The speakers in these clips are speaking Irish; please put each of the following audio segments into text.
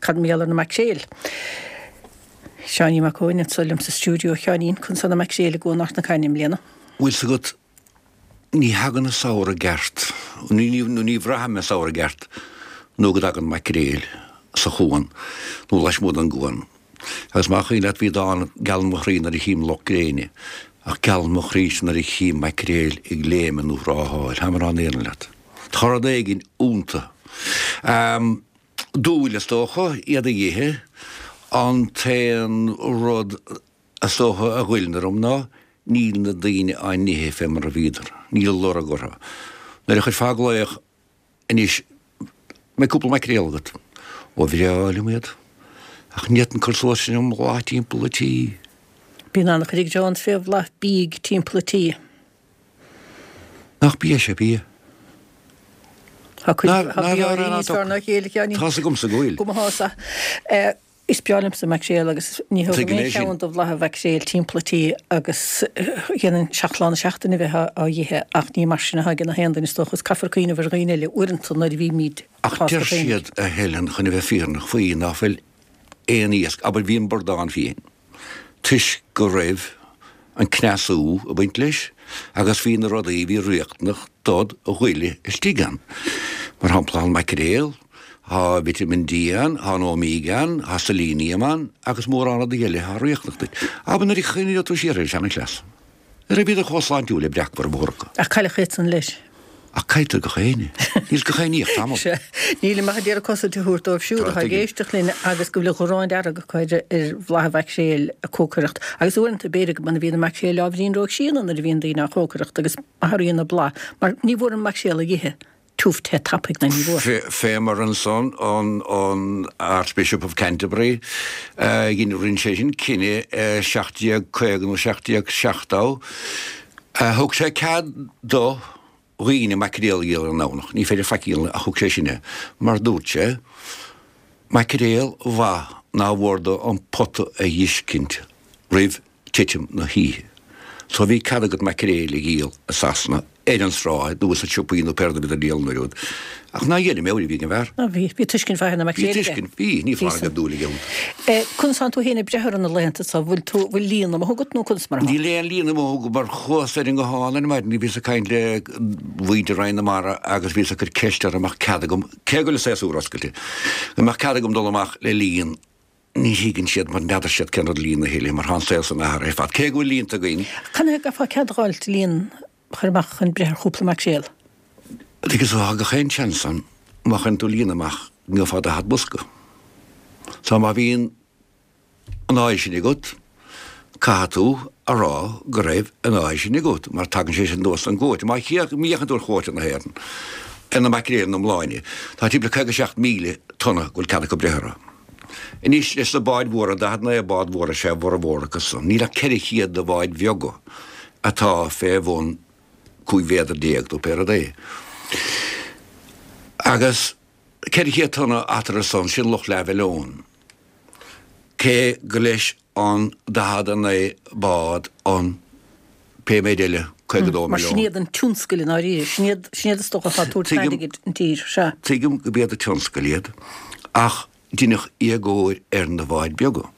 Cad mar gheall ar na maicréil? Seáinín Mac Eoin anseo liom sa stiúideo. A Sheáinín, conas tá na maicréil i gCuan Ard na Caithne i mbliana? Bhfuil 's agat, ní thagann an samhradh i gceart, nó ní bhraithim an samhradh i gceart nó go dtagann maicréil sa chuan nó lasmuigh den gcuan. Agus más cuimhin leat bhí dán Gealann mo chroí nuair a chím lucht gréine, ach gealann mo chroíse nuair a chím maicréil ag léimeadh nó rátháil. Táim ag rá an fhírinne leat. Tá rud éigin iontu. Dúil, is dócha, iad a dh'ithe. An t-aon rud is dócha a ghoilleann orm ná níl na daoine á n-ithe fé mar a bhíodar. Níl lorg orthu. Nuair a chuirfeá glaoch anois, mbeidh cúpla maicréal agat? Ó bhreá liom iad. Ach ní fhéadfainn cur suas sin i mblath timpeall an tí. Bíonn an-chuid ag fé bhlath bídh timpeall an tí. Nach bia is ea bia? Tá cuid tá bia áirithe níos fearr ná a chéile, a Sheáinín. Tá's agamsa go bhfuil. Go mba shása. Is breá liomsa maicréal agus ní thógaim aon cheann de bhlatha mhaicréil timpeall an tí agus dhéanfainn 7 lá na seachtaine a bheith á dh'ithe ach ní mar sin atá ag gach aon duine is dócha is caithfear cuimhneamh ar dhaoine eile uaireanta nuair a bhímid Ach deir siad, a Helen, chun a bheith fírinneach faoi, ná fuil aon iasc, abair bhí an bradán fiain. toisc go raibh an cneasú ag baint leis agus bhí na rudaí a bhí riachtanach dod ghoile istigh ann. Mar shampla, tá an maicréal, tá vitamin D ann, tá an omega ann, tá selenium ann agus mórán rudaí eile atá riachtanach duit. Abair nuair a chuimhneoidh tú siar ar an seanchleas, ní raibh bhíodar chomh sláintiúil le breacmhar a mhór acu. Ach cailleadh iadsan leis. Ach cailltear gach éinne. Níl gach éinne ach tamall. Sea. Nílim ach ag iarraidh cosaint a thabhairt dóibh siúd atá ag éisteacht linn agus go bhfuil an ghráin dearg acu ar bhlatha mhaicréil a cócaireacht. Agus uaireanta b'fhéidir go mbíonn na maicréil ábhairín róchríonna nuair a bhíonn daoine á chócaireacht agus athraíonn a bláth mar ní bhfuair an maicréal a dh'ithe tiubh te tapaidh ná ní bhfuair. Fé mar ansan an Archbishop of Canterbury, dhein rinne sé sin cinneadh i 1750 nó 1770, Thug sé cead do dhaoine maicréal a dhíol ar an nDomhnach. Ní féidir faic a dhíol ach thug sé sin é, mar dúirt sé, maicréal mhaith nár mhór dó an pota a dh'fheiscint roimh titim na hoíche. So bhí cead agat maicréil a dhíol i Sasana ar an sráid nó sna siopaí nó pé rud a bhíodar ag díol an uair úd. Ach ná dhéanfaidh mé, bhí ag an bhfear. Á bhí, bhí tuiscint mhaith ar na maicréil aige. Bhí tuiscint, bhí, ní foláir go raibh dúil aige iontu. Conas tánn tú féin ag breith orthu na laethanta so, bhfuil tú, bhfuil líon amuigh agat nó conas mar atá? Níl aon líon amuigh agam mar chuas ar an nguthán ar maidin, bhíos ag caint le muintir Roinn na Mara agus bhíos ag cur ceist orthu an mbeadh cead agam, cé go bhfuil an séasúr oscailte, an mbeadh cead agam dul amach le líon Ní thuigeann siad mar n'fheadar siad cén rud líon a thuilleadh mar tá an saol san athraithe ar fad, cé go bhfuil líonta againn. Canathaobh a gcaithfeá cead a dh'fháilt líon a chur amach chun breith ar chúpla maicréal? Agus tá gach aon seans ann má chuireann tú líon amach go ngeofá 40 bosca. So má bhíonn an áidh sin agat, caithfidh tú a rá go raibh an áidh sin agat mar tagann sé sin anuas an gcuóta. Má fhéachann tú ar chuóta na hÉireann, ar na maicréil ina n-iomláine, tá timpeall 57,000 tonna go bhfuil cead acu breith orthu. Anois, leis na báid mhóra, 49 bád mhóra is ea a bhformhór acu san, níl ach 400 de bháid bheaga atá fé bhun 15 mhéadar nó pé rud é. Agus 400 tonna eatarthu san, sin lucht leathmhilliún. Cé go leis an 49 bád an pé méid eile, 52 Mar sin milliún. iad an tionscal i ndáiríre, sin iad, sin iad is dócha atá ag tabhairt Tuigim, airgid an tír, sea. tuigim go b'iad an tionscal iad, ach deineadh éagóir ar na báid beaga.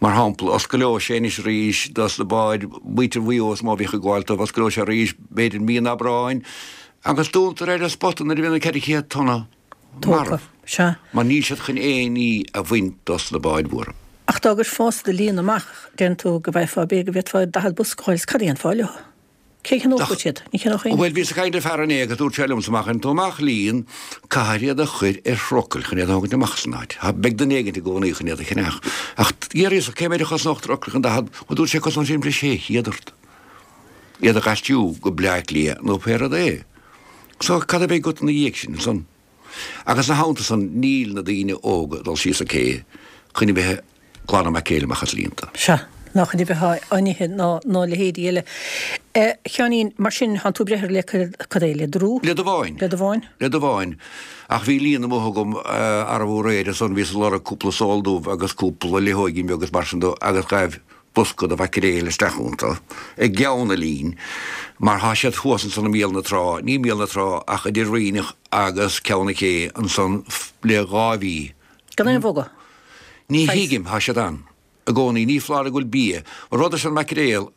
Mar shampla, oscaileoidh sé anois arís dos na báid, muintir Mhaigh Eo is mó a bhíodh ag gabháil dóibh, oscaileoidh sé arís b'fhéidir mí an Aibreáin, agus dúntar ar an spota nuair a bhíonn an 400 tonna. Tógtha. Sea. Mar níl siad chun aon ní a bhaint dos na báid mhóra. Ach dá gcuirfeása do líon amach, deireann tú go bhfaighfeá, b'fhéidir go bhféadfá 40 bosca a fháil, is cad a dhéanfá leo? Cé a cheannódh iad? Ní cheannódh éinne. Bhuel, bhíos ag caint le fear inné agus dúirt sé liomsa, má chuireann tú amach líon, caithfear iad a chur ar thrucail chun iad a thógaint amach as an áit. Beidh duine éigint i gcónaí chun iad a cheannach. Ach d'fhiafraíos cé méid a chosnódh trucail chun 40, bhuel dúirt sé cosnóidh sé timpeall 600 ort iad a dh'aistriú go Bleá Cliath nó pé rud é. So, cad a bheidh agat ina dhiaidh sin ansan? Agus ina theannta san, níl na daoine óga ag dul síos an cé chun a bheith ag glanadh maicréil amach as líonta. Sea, ná chun a bheith á n-ithe ná a leithéidí eile. A Sheáinín, mar sin, thánn tú ag breith orthu le cad é, le drú? Le damháin. Le damháin. Le damháin. Ach bhí líon amuigh agam arbú aréir ansan, bhíos ag lorg cúpla sól dubh agus cúpla luitheoigín beag agus mar sin de agus ghaibh bosca de mhaicréil isteach iontu i gceann an lín, mar thá siad thuas ansan i mbéal na trá, ní i mbéal na trá ach idir Ríneach agus Ceann na Cé ansan le dhá mhí. Gan aon bhogadh. Ní thuigim, tá siad ann i gcónaí, ní foláir go bhfuil bia. An rud leis an maicréal,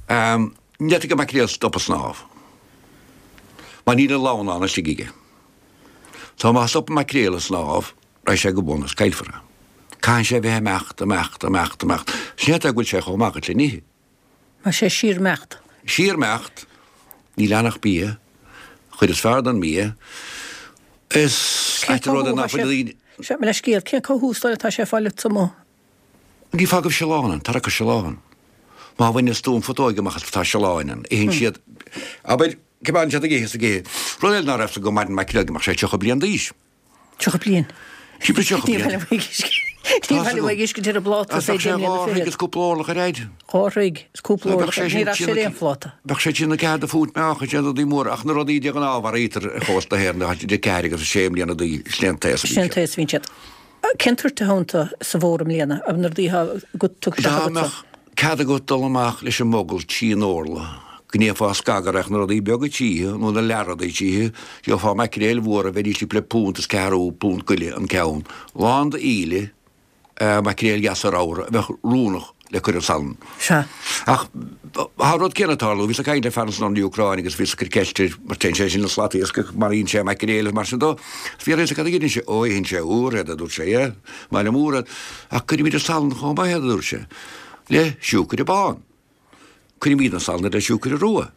ní fhéadfadh an maicréal stop ag snámh. Mar níl an lann ann istigh aige. So má stop an maicréal ag snámh, raghaidh sé go bun is caillfear é. Caitheann sé a bheith ag imeacht, imeacht, imeacht, imeacht. Sin é an fáth go bhfuil sé chomh maith le n-ithe. Tá sé síor-imeacht. Síor-imeacht, níl ann ach bia, an chuid is fearr den mbia. Is ait an rud é nach bhfuil daoine. Seo mo leithscéal, cén cothú is dóigh atá sé ag fáil uait amuigh? Ní fág go bhfuil siolán ann, tarrac ar siolán. Má bhaineas tú an phutóig amach as tá siolán ann, itheann siad, abair, coimeádann siad ag ithe is ag ithe. Rud eile ná raibh 'fhios agam go maireann maicréal go mbeadh sé 30 bliain d'aois. 30 bliain. 30 bliain. Ní bheidh uaidh uisce ar an bpláta is é deich mbliana fichead. Bheadh sé dhá throigh is cúpla orlach ar fhaid. Dhá throigh is cúpla orlach. Ní raibh sé ar aon phláta. Bheadh sé trí nó ceathair de phúint meáchain, sin rudaí móra, ach na rudaí de ghnáth a mharaítear ar chósta na hÉireann, tá siad idir ceathair agus sé mbliana d'aois, sin é an t-aos a bhíonn siad. Sin é an t-aos a bhíonn siad. Cén toirt a thógann tú sa bhfómhar i mbliana, na rudaí atá agat tugtha isteach agatsa? Dá mbeadh cead agat dul amach leis an mogall trín orla, go ndéanfá scagaire ach na rudaí beaga tríothu, nó na leathrudaí tríothu, gheofá maicréil mhóra a bheidís timpeall le punt is ceathrú, punt go leith an ceann, lán d'íle, maicréil dheasa ramhra a bheadh oiriúnach le cur ar salann. Sea. Ach tá an rud céanna ag tarlú. Bhíos ag caint le fear ansan ón Úcráin agus bhíos ag cur ceist air, mar téann sé sin le slatiascach, maraíonn sé maicréil agus mar sin dó. Is bhí a fhios agat cad a dheineann sé? Ó, itheann sé úr iad, a dúirt sé, yeah, maith liom úr iad. Ach cuirimid ar salann chomh maith iad, a dúirt sé, le siúcaire bán. Cuirimid ar salann iad le siúcaire rua.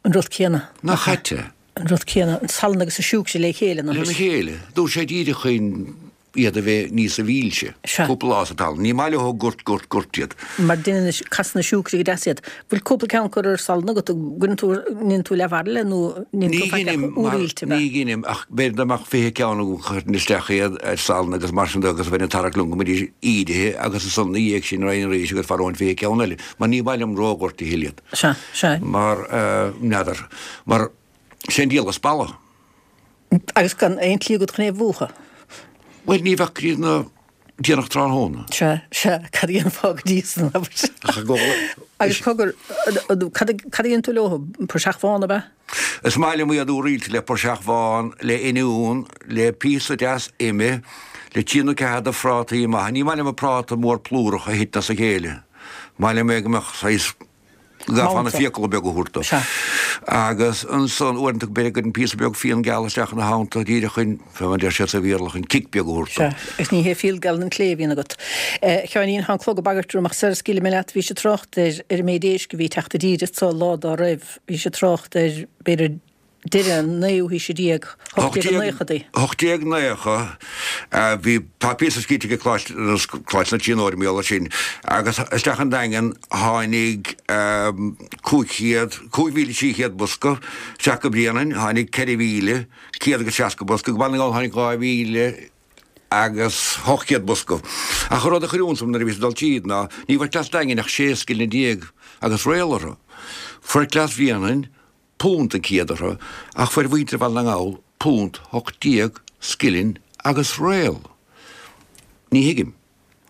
An rud céanna. Nach ait é? An rud céanna, an salann agus an siúcra le chéile, nach Lena chéile. Dúirt sé díreach chun iad a bheith níosa mhílse. Sea. Cúpla lá sa talamh. Ní maith leo goirt, goirt, goirt iad. Mar deineann na, casann an siúcra go deas iad. Bhfuil cúpla ceann curtha ar salann agat? Gcuireann tú, ndéanann tú leathbhairille nó ndéanann tú faic ach úr-oilte, ab ea? Ní dheinim ach b'fhéidir dá mbeadh 20 ceann agam chuirfinn isteach iad ar salann agus mar sin de agus bheinn ag tarrac liom go mbeidís ídithe agus ansan ina dhiaidh sin raghainn arís agus mharóinn 20 ceann eile mar ní maith liom ródhoirt a thuilleadh. Sea, sea. Mar, n'fheadar, mar sé an diabhal is balla. Agus gan aon tslí agat chun é a mhúchadh. Bhuel, ní bheadh go dtí na déanach tráthnóna. Sea, sea, cad a dhéanfá go dtí san, abair? Ach i gcomhla. Agus cogar, cad a dhéanann tú leo? Praiseach bhán, ab ea? Is maith liom iad úr-oilte le praiseach bhán, le oinniún, le píosa deas ime, le trí nó ceathair de phrátaí maithe. Ní maith liom an práta mór plúrach a thiteann as a chéile. Maith liom é go mbeadh saghas go gcaithfeá na fiacla beaga a thabhairt dó. Agus ansan, uaireanta, b'fhéidir go gcuirfinn píosa beag fíon geal isteach ina theannta, díreach chun, fé mar a deir siad sa Bhéarla, chun kick beag a thabhairt dó. Sea, agus ní hé fíon geal an clé a bhíonn agat. A Sheáinín, tá an clog ag bagairt orm ach sara scaoilfidh mé leat, bhís ag trácht ar ar an méid éisc a bhí ag teacht i dtír anso lá dá raibh, bhís ag trácht ar, b'fhéidir, deireadh an naoú haoise déag, 1890idí. 1890, bhí, tá píosa scríte ag Coláiste, Coláiste na Tríonóide mar gheall air sin, agus isteach an Daingean tháinig 500, 5,300 bosca, isteach go Bréanainn tháinig 4,160 bosca, go Baile na nGall tháinig 2,000 agus 800 bosca. Ach an rud a chuir iontas orm nuair a bhíos ag dul tríd ná ní bhfuair cleas Daingin ach sé scilling déag agus réal orthu. Fuair cleas Bhréanainn punt an céad orthu, ach fuair mhuintir Bhaile na nGall punt 18 scilling agus réal. Ní thuigim.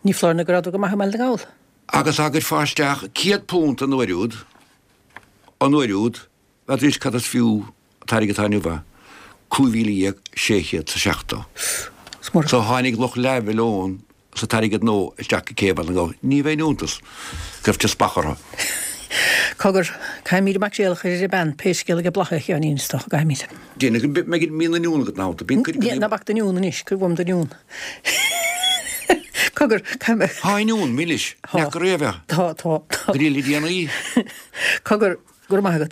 Ní foláir nó go rabhadar go maith i mBaile na nGall. Agus dá gcuirfeá isteach £100 an uair úd, an uair úd, n'fheadar cad is fiú an t-airgead atá inniu é, 15,670. So tháinig lucht leathmhilliún sa t-airgead nua isteach go cé Bhaile na nGall. Ní bheinn iontas go raibh teaspach orthu. Cogar, caithfimid an maicréal a chur ar an bpeann, pé scéal é Blathaí a Sheáinín, is dócha go gcaithfimid. Déanfaidh go mbeidh mian oinniún agat ná bíonn cuid Ná bac d'oinniún anois, cuir uaim d'oinniún. Cogar, caithfidh mé. Tá oinniún milis, neacair é a bheith. Tá, tá, tá. Go dtí le déanaí. Cogar, go raibh maith agat.